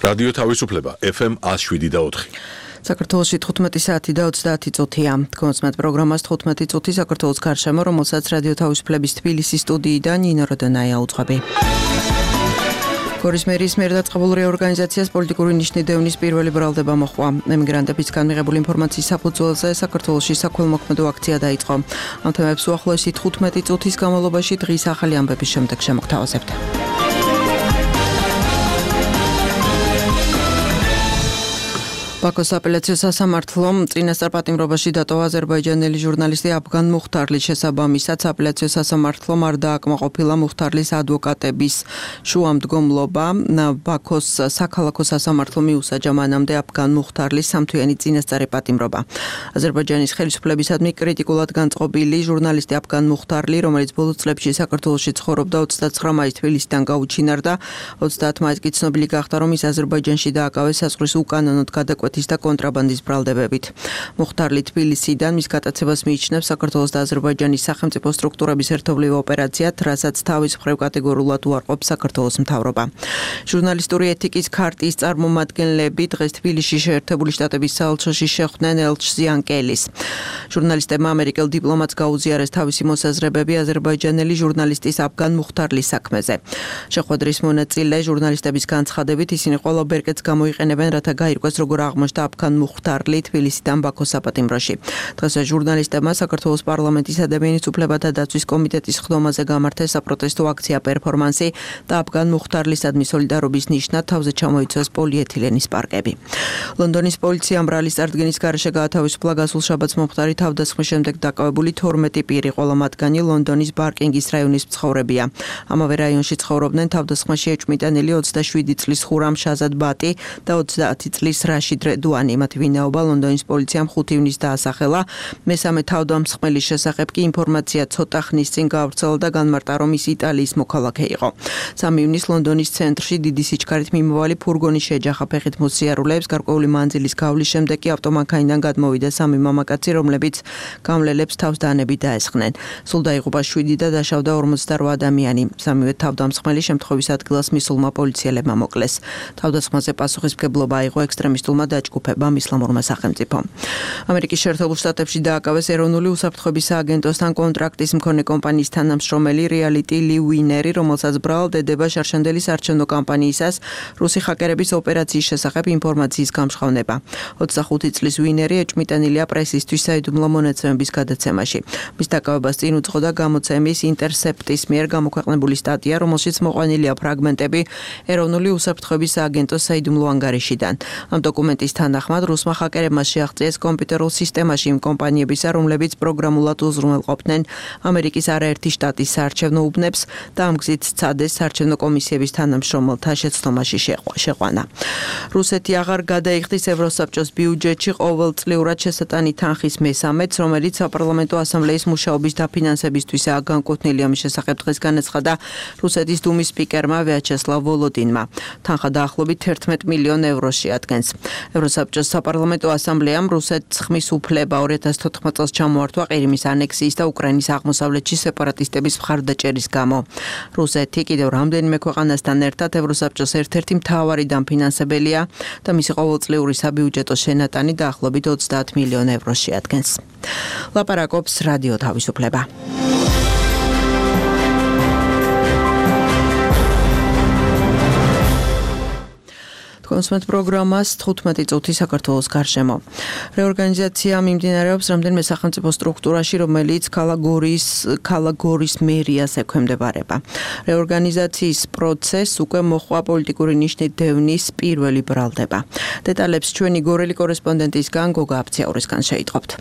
რადიო თავისუფლება FM 107.4. საქართველოში 15 საათი და 30 წუთია. კონსმეთ პროგრამას 15 წუთი საქართველოს გარშემო, რომელსაც რადიო თავისუფლების თბილისის სტუდიიდან ნინო როდონაია უძღვები. გორის მერის მიერ დაწყებულ რეორგანიზაციას პოლიტიკური ნიშნიდევნის პირველი ბრალდება მოჰყვა. ემიგრანტებისგან მიღებული ინფორმაციის საფუძველზე საქართველოში საქველმოქმედო აქცია დაიწყო. ამ თემებს უახლოესი 15 წუთის განმავლობაში დღის ახალი ამბების შემდეგ შემოგთავაზებთ. ბაქოს აპელაციო სასამართლომ წინასწარ პატიმრობაში დატოვა აზერბაიჯანელი ჟურნალისტი აფგან მუხთარლის შესაბამისად აპელაციო სასამართლომ არ დააკმაყოფილა მუხთარლის ადვოკატების შუამდგომლობა. ბაქოს საქალაქო სასამართლომ მიუსაჯა მანამდე აფგან მუხთარლის სამთვიანი წინასწარი პატიმრობა. აზერბაიჯანის ხელისუფლებისადმი კრიტიკულად განწყობილი ჟურნალისტი აფგან მუხთარლი, რომელიც ბოლო წლებში საქართველოში ცხოვრობდა, 29 მაისს თბილისიდან გაუჩინარდა. 30 მაისს კი ცნობილი გახდა, რომ ის აზერბაიჯანში დააკავეს საზღვრის უკანონოდ გადაკვეთის და კონტრაბანდის ბრალდებებით. მუხთარლი თბილისიდან მის გატაცებას მიიჩნევს საქართველოს და აზერბაიჯანის სახელმწიფო სტრუქტურების ერთობლივ ოპერაციად, რასაც თავის მხრივ კატეგორიულად უარყოფს საქართველოს მთავრობა. ჟურნალისტური ეთიკის ქარტიის წარმომადგენლები დღეს თბილისში შეერთებული შტატების საელჩოში შეხვდნენ ელჩ ზიანკელის. ჟურნალისტებმა ამერიკელ დიპლომატს გაუზიარეს თავისი მოსაზრებები აზერბაიჯანელი ჟურნალისტის აფგან მუხთარლის საქმეზე. შეხვედრის მონაწილე ჟურნალისტების განცხადებით ისინი ყველა ბერკეტს გამოიყენებენ, რათა გაირკვეს როგორ აღმოჩნდა აფგან მუხთარლი თბილისიდან ბაქოს საპატიმროში. დღესვე ჟურნალისტებმა საქართველოს პარლამენტის ადამიანის უფლებათა დაცვის კომიტეტის ხდომაზე გამართეს საპროტესტო აქცია პერფორმანსი და აფგან მუხთარლისადმი სოლიდარობის ნიშნად თავზე ჩამოიცვეს პოლიეთილენის პარკები. ლონდონის პოლიციამ ბრალის წარდგენის გარეშე გაათავისუფლა გასულ შაბათს მომხდარი თავდასხმის შემდეგ დაკავებული 12 პირი, ყველა მათგანი ლონდონის ბარკინგის რაიონის მცხოვრებია. ამავე რაიონში ცხოვრობდნენ თავდასხმაში ეჭვმიტანილი 27 წლის ხურამ შაზად ბატი და 30 წლის რაშიდ რედუანი. მათი ვინაობა ლონდონის პოლიციამ 5 ივნისს დაასახელა. მესამე თავდამსხმელის შესახებ კი ინფორმაცია ცოტა ხნის წინ გავრცელდა და განმარტა, რომ ის იტალიის მოქალაქე იყო. 3 ივნისს ლონდონის ცენტრში დიდი სიჩქარით მიმავალი ფურგონი შეეჯახა ფეხით მოსიარულეებს. გარკვეული მანძილის გავლის შემდეგ კი ავტომანქანიდან გადმოვიდა 3 მამაკაცი, რომლებიც გამლელებს თავს დანებით დაესხნენ. სულ დაიღუპა 7 და დაშავდა 48 ადამიანი. სამივე თავდამსხმელი შემთხვევის ადგილას მისულმა პოლიციელებმა მოკლეს. თავდასხმაზე პასუხისმგებლობა აიღო ექსტრემისტულმა დაჯგუფებამ ისლამურმა სახელმწიფომ. ამერიკის შეერთებულ შტატებში დააკავეს ეროვნული უსაფრთხოების სააგენტოსთან კონტრაქტის მქონე კომპანიის თანამშრომელი რეალიტი ლი ვინერი, რომელსაც ბრალდება შარშანდელი საარჩევნო კამპანიისას რუსი ჰაკერების ოპერაციის შესახებ ინფორმაციის გამჟღავნება. 25 წლის ვინერი ეჭვმიტანილია პრესისთვის საიდუმლო მონაცემების გადაცემაში. მის დაკავებას წინ უძღოდა გამოცემის ინტერსეპტის მიერ გამოქვეყნებული სტატია, რომელშიც მოყვანილია ფრაგმენტები ეროვნული უსაფრთხოების სააგენტოს საიდუმლო ანგარიშიდან. ამ დოკუმენტის თანახმად რუსმა ჰაკერებმა შეაღწიეს კომპიუტერულ სისტემაში იმ კომპანიებისა, რომლებიც პროგრამულად უზრუნველყოფდნენ ამერიკის არაერთი შტატის საარჩევნო უბნებს და ამ გზით სცადეს საარჩევნო კომისიების თანამშრომელთა შეცდომაში შეყვანა. რუსეთი აღარ გადაიხდის ევროსაბჭოს ბიუჯეტში ყოველწლიურად შესატანი თანხის მესამედს, რომელიც საპარლამენტო ასამბლეის მუშაობის დაფინანსებისთვისაა განკუთვნილი. ამის შესახებ დღეს განაცხადა რუსეთის დუმის სპიკერმა ვიაჩესლავ ვოლოდინმა. თანხა დაახლოებით 11 მილიონ ევროში ადგენს. ევროსაბჭოს საპარლამენტო ასამბლეამ რუსეთს ხმის უფლება 2014 წელს ჩამოართვა ყირიმის ანექსიის და უკრაინის აღმოსავლეთში სეპარატისტების მხარდაჭერის გამო. რუსეთი კიდევ რამდენიმე ქვეყანასთან ერთად ევროსაბჭოს ერთ-ერთი მთავარი დამფინანსებელია და მისი ყოველწლიური საბიუჯეტო შენატანი დაახლოებით 30 მილიონ ევროში ადგენს. ლაპარაკობს რადიო თავისუფლება. კონსმეთ პროგრამას 15 წუთი საქართველოს გარშემო. რეორგანიზაცია მიმდინარეობს რამდენიმე სახელმწიფო სტრუქტურაში, რომელიც ქალაქ გორის მერიას ექვემდებარება. რეორგანიზაციის პროცესს უკვე მოჰყვა პოლიტიკური ნიშნით დევნის პირველი ბრალდება. დეტალებს ჩვენი გორელი კორესპონდენტისგან გოგა აფციაურისგან შეიტყობთ.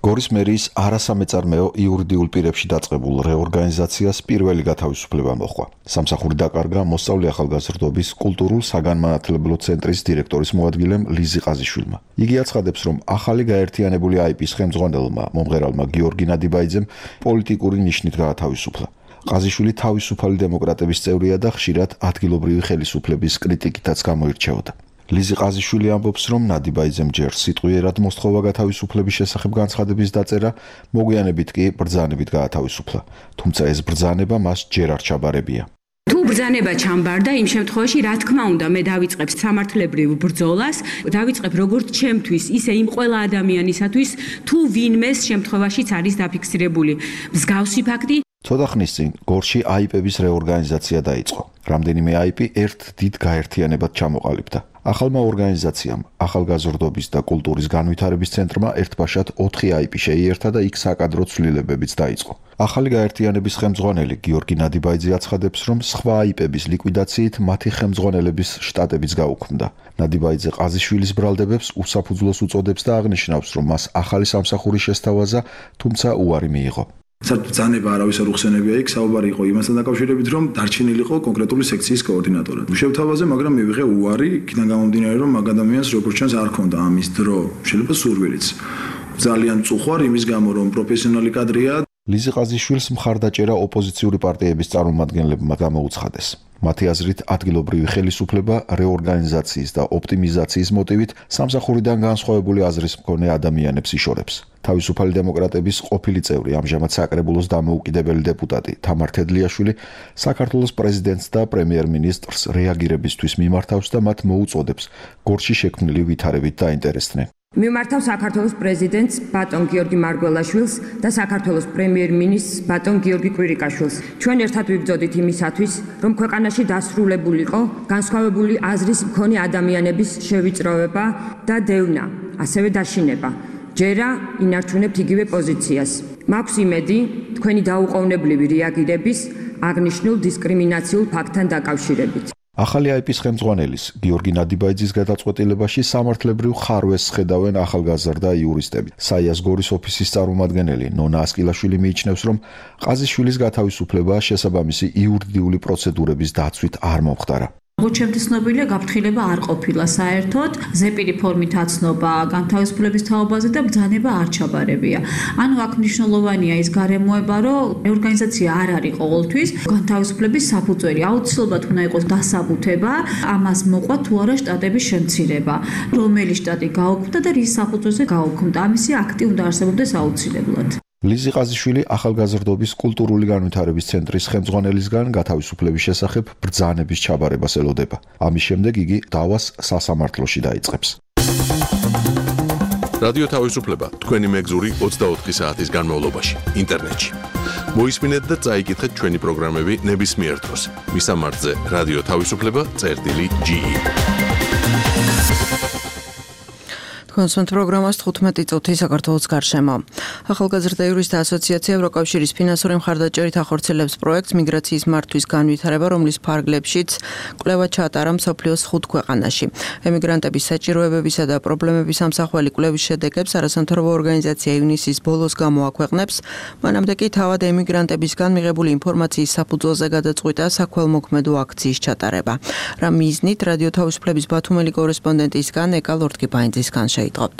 გორის მერიის არასამეწარმეო იურიდიულ პირებში დაწყებულ რეორგანიზაციას პირველი გათავისუფლება მოჰყვა. სამსახური დაკარგა მოსწავლე ახალგაზრდობის კულტურულ-საგანმანათლებლო ცენტრის დირექტორის მოადგილემ ლიზი ყაზიშვილმა. იგი აცხადებს, რომ ახალი გაერთიანებული აიპის ხელმძღვანელმა მომღერალმა გიორგი ნადიბაიძემ პოლიტიკური ნიშნით გაათავისუფლა. ყაზიშვილი თავისუფალი დემოკრატების წევრია და ხშირად ადგილობრივი ხელისუფლების კრიტიკითაც გამოირჩეოდა. ლიზი ყაზიშვილი ამბობს, რომ ნადიბაიძემ ჯერ სიტყვიერად მოსთხოვა გათავისუფლების შესახებ განცხადების დაწერა, მოგვიანებით კი ბრძანებით გაათავისუფლა. თუმცა ეს ბრძანება მას ჯერ არ ჩაბარებია. თუ ბრძანება ჩამბარდა, იმ შემთხვევაში რა თქმა უნდა მე დავიწყებ სამართლებრივ ბრძოლას, დავიწყებ როგორც ჩემთვის, ისე იმ ყველა ადამიანისათვის, თუ ვინმეს შემთხვევაშიც არის დაფიქსირებული მსგავსი ფაქტი. ცოტა ხნის წინ გორში აიპების რეორგანიზაცია დაიწყო. რამდენიმე აიპი ერთ დიდ გაერთიანებად ჩამოყალიბდა. ახალმა ორგანიზაციამ, ახალგაზრდობის და კულტურის განვითარების ცენტრმა ერთბაშად 4 აიპი შეიერთა და იქ საკადრო ცვლილებებიც დაიწყო. ახალი გაერთიანების ხელმძღვანელი გიორგი ნადიბაიძე აცხადებს, რომ სხვა აიპების ლიკვიდაციით მათი ხელმძღვანელების შტატებიც გაუქმდა. ნადიბაიძე ყაზიშვილის ბრალდებებს უსაფუძვლოს უწოდებს და აღნიშნავს, რომ მას ახალი სამსახური შესთავაზა, თუმცა უარი მიიღო. ბრძანება არავის არ უხსენებია იქ, საუბარი იყო იმასთან დაკავშირებით, რომ დარჩენილიყო კონკრეტული სექციის კოორდინატორად. შევთავაზე, მაგრამ მივიღე უარი, იქიდან გამომდინარე, რომ მაგ ადამიანს როგორც ჩანს არ ქონდა ამის დრო, შეიძლება სურვილიც. ძალიან წუხვარ იმის გამო, რომ პროფესიონალი კადრია. ლიზი ყაზიშვილს მხარდაჭერა ოპოზიციური პარტიების წარმომადგენლებმა გამოუცხადეს. მათი აზრით, ადგილობრივი ხელისუფლება რეორგანიზაციის და ოპტიმიზაციის მოტივით სამსახურიდან განსხვავებული აზრის მქონე ადამიანებს იშორებს. თავისუფალი დემოკრატების ყოფილი წევრი, ამჟამად საკრებულოს დამოუკიდებელი დეპუტატი თამარ თედლიაშვილი საქართველოს პრეზიდენტს და პრემიერ-მინისტრს რეაგირებისთვის მიმართავს და მათ მოუწოდებს გორში შექმნილი ვითარებით დაინტერესდნენ. მიმართავ საქართველოს პრეზიდენტს ბატონ გიორგი მარგველაშვილს და საქართველოს პრემიერ-მინისტრს ბატონ გიორგი კვირიკაშვილს. ჩვენ ერთად ვიბრძოდით იმისათვის, რომ ქვეყანაში დასრულებულიყო განსხვავებული აზრის მქონე ადამიანების შევიწროვება და დევნა, ასევე დაშინება. ჯერა ინარჩუნებთ იგივე პოზიციას. მაქვს იმედი, თქვენი დაუყოვნებლივი რეაგირების აღნიშნულ დისკრიმინაციულ ფაქტთან დაკავშირებით. ახალი აიპის ხელმძღვანელის გიორგი ნადიბაიძის გადაწყვეტილებაში სამართლებრივ ხარვეს ხედავენ ახალგაზრდა იურისტები. საიას გორის ოფისის წარმომადგენელი ნონა ასკილაშვილი მიიჩნევს, რომ ყაზიშვილის გათავისუფლება შესაბამისი იურიდიული პროცედურების დაცვით არ მომხდარა. როგორც ცნობილია, გაფრთხილება არ ყოფილა საერთოდ, ზეპირი ფორმით აცნობა განთავისუფლების თაობაზე და ბრძანება არ ჩაბარებია. ანუ აქ მნიშვნელოვანია ის გარემოება, რომ რეორგანიზაცია არ არის ყოველთვის განთავისუფლების საფუძველი. აუცილებლად უნდა იყოს დასაბუთება, ამას მოყვა თუ არა შტატების შემცირება. რომელი შტატი გაუქმდა და რის საფუძველზე გაუქმდა. ამისი აქტი უნდა არსებობდეს აუცილებლად. ლიზი ყაზიშვილი ახალგაზრდობის კულტურული განვითარების ცენტრის ხელმძღვანელისგან გათავისუფლების შესახებ ბრძანების ჩაბარებას ელოდება. ამის შემდეგ იგი დავას სასამართლოში დაიწყებს. რადიო თავისუფლება თქვენი მეგზური 24 საათის განმავლობაში ინტერნეტში. მოისმინეთ და წაიკითხეთ ჩვენი პროგრამები ნებისმიერ დროს. მისამართზე რადიო თავისუფლება.ge კონსულტ პროგრამას 15 წუთი საქართველოს გარშემო. ახალგაზრდა იურისტთა ასოციაცია ევროკავშირის ფინანსური მხარდაჭერით ახორციელებს პროექტს მიგრაციის მართვის განვითარება, რომლის ფარგლებშიც კვლევა ჩაატარა მსოფლიოს 5 ქვეყანაში. ემიგრანტების საჭიროებებისა და პრობლემების ამსახველი კვლევის შედეგებს არასამთავრობო ორგანიზაცია ივნისის ბოლოს გამოაქვეყნებს. მანამდე კი თავად ემიგრანტებისგან მიღებული ინფორმაციის საფუძველზე გადაწყვიტა საქველმოქმედო აქციის ჩატარება. რა მიზნით რადიო თავისუფლების ბათუმელი კორესპონდენტისგან ეკა ლორთქიფაინძისგან იტყობთ.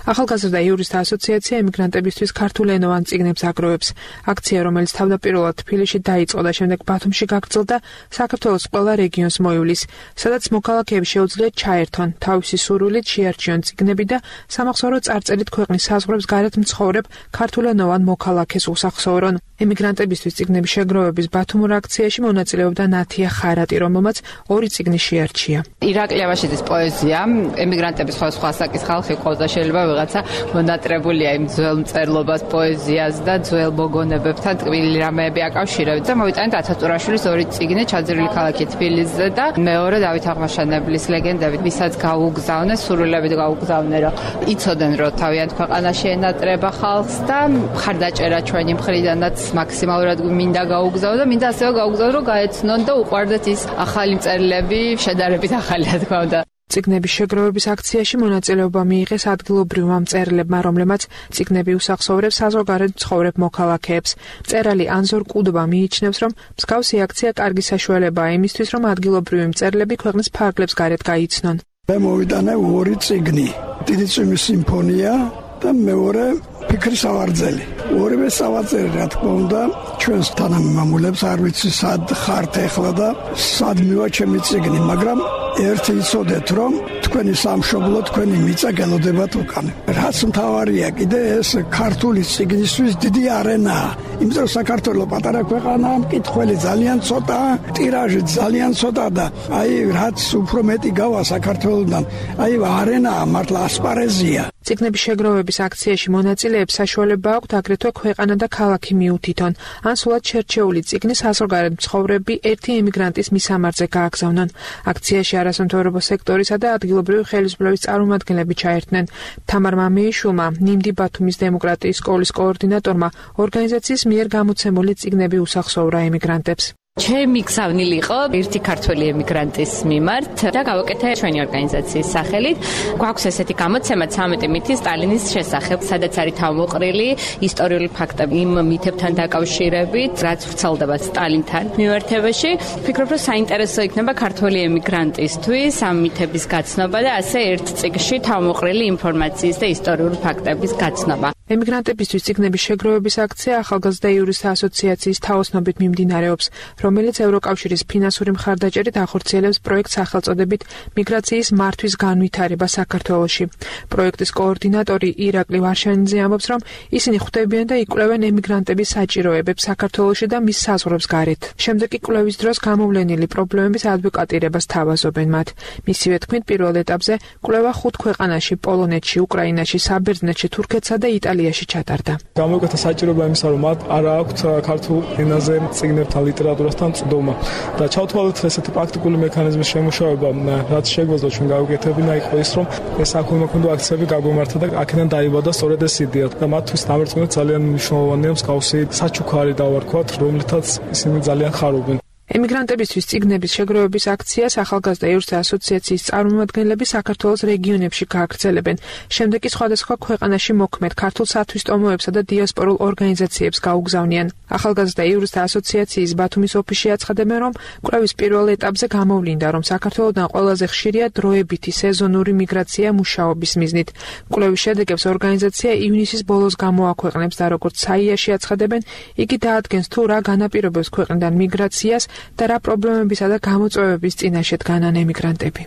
ახალგაზრდა იურისტთა ასოციაცია ემიგრანტებისთვის ქართულენოვან წიგნებს აგროვებს. აქცია, რომელიც თავდაპირველად თბილისში დაიწყო და შემდეგ ბათუმში გაგრძელდა, საქართველოს ყველა რეგიონს მოივლის, სადაც მოქალაქეებს შეუძლიათ ჩაერთონ, თავისი სურვილით შეარჩიონ წიგნები და სამახსოვრო წარწერით ქვეყნის საზღვრებს გარეთ მცხოვრებ ქართულენოვან მოქალაქეს უსახსოვრონ. ემიგრანტებისთვის წიგნების შეგროვების ბათუმურ აქციაში მონაწილეობდა ნათია ხარატი, რომელმაც 2 წიგნი შეარჩია. ირაკლი აბაშიძის პოეზია, ემიგრანტების სხვა საკის ხალხი ყავდა, შეიძლება ვიღაცა მონატრებულია იმ ძველ მწერლობას, პოეზიას და ძველ მოგონებებთან ტკბილი რამეები აკავშირებით და მოვიტანეთ ათათურაშვილის 2 წიგნი ჩაძირული ქალაქი თბილისზე და მეორე დავით აღმაშენებლის ლეგენდებით, ვისაც გაუგზავნეს, სურვილებით გაუგზავნე, რომ იცოდნენ, რომ თავიანთ ქვეყანაში ენატრება ხალხს და მხარდაჭერა ჩვენი მხრიდანაც მაქსიმალურად მინდა გაუგზავნო და მინდა ასევე გაუგზავნო, რომ გაეცნონ და უყვარდეთ ის ახალი მწერლები, შედარებით ახალი რა თქმა უნდა. წიგნების შეგროვების აქციაში მონაწილეობა მიიღეს ადგილობრივმა მწერლებმა, რომლებმაც წიგნები უსახსოვრებს საზღვარგარეთ მცხოვრებ მოქალაქეებს. მწერალი ანზორ კუდობა მიიჩნევს, რომ მსგავსი აქცია კარგი საშუალებაა იმისთვის, რომ ადგილობრივი მწერლები ქვეყნის ფარგლებს გარეთ გაიცნონ. მე მოვიტანე 2 წიგნი, დიდი წვიმის სიმფონია და მეორე ფიქრი სავარძელი. ორივე სავარძელი, რა თქმა უნდა, ჩვენს თანამემამულებს არ ვიცი სად ხართ ახლა და სად მივა ჩემი წიგნი, მაგრამ ერთი იცოდეთ, რომ თქვენი სამშობლო, თქვენი მიწა გელოდებათ უკან. რაც მთავარია კიდე ეს ქართული წიგნისთვის დიდი არენაა. იმიტომ რომ საქართველოს პატარა ქვეყანაა, მკითხველი ძალიან ცოტაა, ტირაჟი ძალიან ცოტა და აი რაც უფრო მეტი გავა საქართველოსთან, აი არენაა მართლა ასპარეზია. წიგნების შეგროვების აქციაში მონაწილეებს საშუალება აქვთ აგრეთვე ქვეყანა და ქალაქი მიუთითონ, ან სულად შერჩეული წიგნის საზღვარგარეთ მცხოვრები ერთი ემიგრანტის მისამართზე გააგზავნონ. აქციაში არასამთავრობო სექტორისა და ადგილობრივი ხელისუფლების წარმომადგენლები ჩაერთნენ. თამარ მამეიშვილმა, ნიმდი ბათუმის დემოკრატიის სკოლის კოორდინატორმა, ორგანიზაციის მიერ გამოცემული წიგნები უსახსოვრა ემიგრანტებს. ჩემი გზავნილი იყო ერთი ქართველი ემიგრანტის მიმართ და გავაკეთე ჩვენი ორგანიზაციის სახელით. გვაქვს ესეთი გამოცემა 13 მითი სტალინის შესახებ, სადაც არის თავმოყრილი ისტორიული ფაქტები იმ მითებთან დაკავშირებით, რაც ვრცელდება სტალინთან მიმართებაში. ვფიქრობ, რომ საინტერესო იქნება ქართველი ემიგრანტისთვის ამ მითების გაცნობა და ასე ერთ წიგნში თავმოყრილი ინფორმაციის და ისტორიული ფაქტების გაცნობა. ემიგრანტებისთვის წიგნების შეგროვების აქცია ახალგაზრდა იურისტთა ასოციაციის თაოსნობით მიმდინარეობს, რომელიც ევროკავშირის ფინანსური მხარდაჭერით ახორციელებს პროექტს სახელწოდებით მიგრაციის მართვის განვითარება საქართველოში. პროექტის კოორდინატორი ირაკლი ვარშანიძე ამბობს, რომ ისინი ხვდებიან და იკვლევენ ემიგრანტების საჭიროებებს საქართველოში და მის საზღვრებს გარეთ. შემდეგ კი კვლევის დროს გამოვლენილი პრობლემების ადვოკატირებას თავაზობენ მათ. მისივე თქმით, პირველ ეტაპზე კვლევა 5 ქვეყანაში, პოლონეთში, უკრაინაში, საბერძნეთში, თურქეთსა და იტალიაში ჩატარდა. გამოვიკეთა საჭიროება იმისა, რომ მათ არ აქვთ ქართულ ენაზე წიგნებთან ლიტერატურასთან წვდომა და ჩავთვალეთ ესეთი პრაქტიკული მექანიზმის შემუშავება, რაც შეგვეძლო ჩვენ გავუკეთებინა იყო ის, რომ ეს აქუიმაქუნდო აქციები გაგვემართა და აქედან დაიბადა სწორედ ეს იდეა და მათთვის დამარცხებით ძალიან მნიშვნელოვანია მსგავსი საჩუქარი დავარქვათ, რომლითაც ისინი ძალიან ხარობენ. ემიგრანტებისთვის წიგნების შეგროვების აქციას ახალგაზრდა იურისტთა ასოციაციის წარმომადგენლები საქართველოს რეგიონებში გააგრძელებენ. შემდეგ კი სხვადასხვა ქვეყანაში მოქმედ ქართულ სათვისტომოებსა და დიასპორულ ორგანიზაციებს გაუგზავნიან. ახალგაზრდა იურისტთა ასოციაციის ბათუმის ოფისში აცხადებენ, რომ კვლევის პირველ ეტაპზე გამოვლინდა, რომ საქართველოდან ყველაზე ხშირია დროებითი სეზონური მიგრაცია მუშაობის მიზნით. კვლევის შედეგებს ორგანიზაცია ივნისის ბოლოს გამოაქვეყნებს და როგორც საიაში აცხადებენ, იგი დაადგენს თუ რა განაპირობებს ქვეყნიდან მიგრაციას და რა პრობლემებისა და გამოწვევების წინაშე დგანან ემიგრანტები.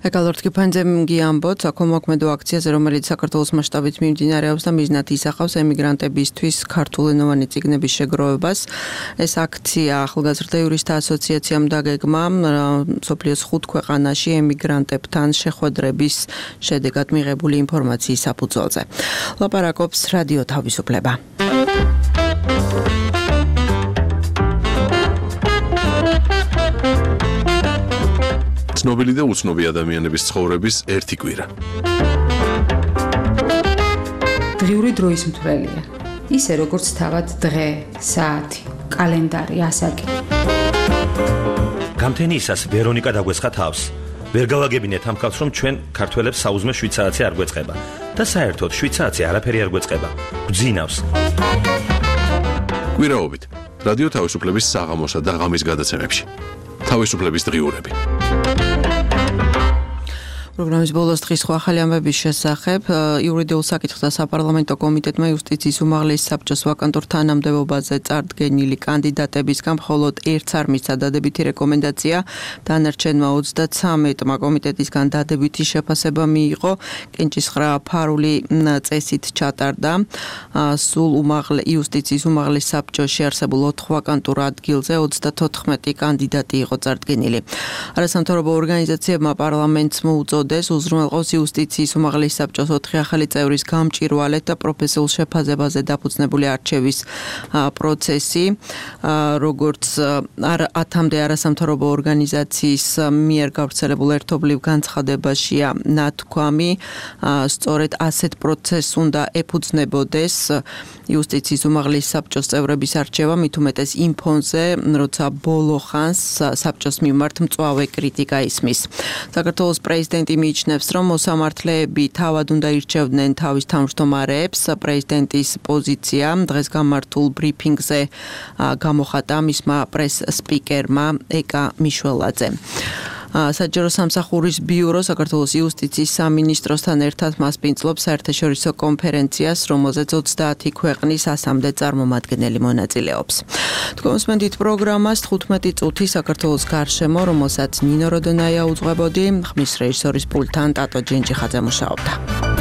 ეკალორდ კიფანძემგი ამბობს, აქომოქმედო აქციაზე, რომელიც საქართველოს მასშტაბით მიმდინარეობს და მიზნად ისახავს ემიგრანტებისთვის ქართულენოვანი წიგნების შეგროვებას. ეს აქცია ახალგაზრდა იურისტთა ასოციაციამ დაგეგმა მსოფლიოს 5 ქვეყანაში ემიგრანტებთან შეხვედრების შედეგად მიღებული ინფორმაციის საფუძველზე. ლაპარაკობს რადიო თავისუფლება. ცნობილი და უცნობი ადამიანების ცხოვრების ერთი კვირა. დღიური დროის მთვრელია. ისე როგორც თავად დღე, საათი, კალენდარი, ასაკი. გამთენიისას ვერონიკა დაგვესხა თავს. ვერ გავაგებინეთ ამ ხალხს, რომ ჩვენ ქართველებს საუზმე 7 საათი არ გვეწყება და საერთოდ 7 საათი არაფერი არ გვეწყება. გვძინავს. კვირაობით რადიო თავისუფლების საღამოსა და ღამის გადაცემებში. თავისუფლების დღიურები. პროგრამის ბოლოს დღის სხვა ახალი ამბების შესახებ იურიდიულ საკითხთა საპარლამენტო კომიტეტმა იუსტიციის უმაღლეს საბჭოს ვაკანტურ თანამდებობაზე წარდგენილი კანდიდატებისგან მხოლოდ ერთს არ მისცა დადებითი რეკომენდაცია, დანარჩენმა 33-მა კომიტეტისგან დადებითი შეფასება მიიღო. კენჭისხრა ფარული წესით ჩატარდა. სულ იუსტიციის უმაღლეს საბჭოში არსებულ 4 ვაკანტურ ადგილზე 34 კანდიდატი იყო წარდგენილი. არასამთავრობო ორგანიზაციებმა პარლამენტს მოუწოდეს უზრუნველყოს იუსტიციის უმაღლეს საბჭოს 4 ახალი წევრის გამჭვირვალეთ და პროფესიულ შეფასებაზე დაფუძნებული არჩევის პროცესი, როგორც 10-მდე არასამთავრობო ორგანიზაციის მიერ გავრცელებულ ერთობლივ განცხადებაშია ნათქვამი, სწორედ ასეთ პროცესს უნდა ეფუძნებოდეს იუსტიციის უმაღლეს საბჭოს წევრების არჩევა, მით უმეტეს იმ ფონზე, როცა ბოლო ხანს საბჭოს მიმართ მწვავე კრიტიკა ისმის. საქართველოს პრეზიდენტი მიიჩნევს, რომ მოსამართლეები თავად უნდა ირჩევდნენ თავის თავმჯდომარეებს. პრეზიდენტის პოზიცია დღეს გამართულ ბრიფინგზე გამოხატა მისმა პრეს სპიკერმა ეკა მიშველაძემ. საჯარო სამსახურის ბიურო საქართველოს იუსტიციის სამინისტროსთან ერთად მასპინძლობს საერთაშორისო კონფერენციას, რომელზეც 30 ქვეყნის 100-მდე წარმომადგენელი მონაწილეობს. თქვენსმენდით პროგრამას 15 წუთი საქართველოს გარშემო, რომელსაც ნინო როდონაია უძღვებოდი, ხმის რეჟისორის პულტთან ტატო ჯენჯიხაძე მუშაობდა.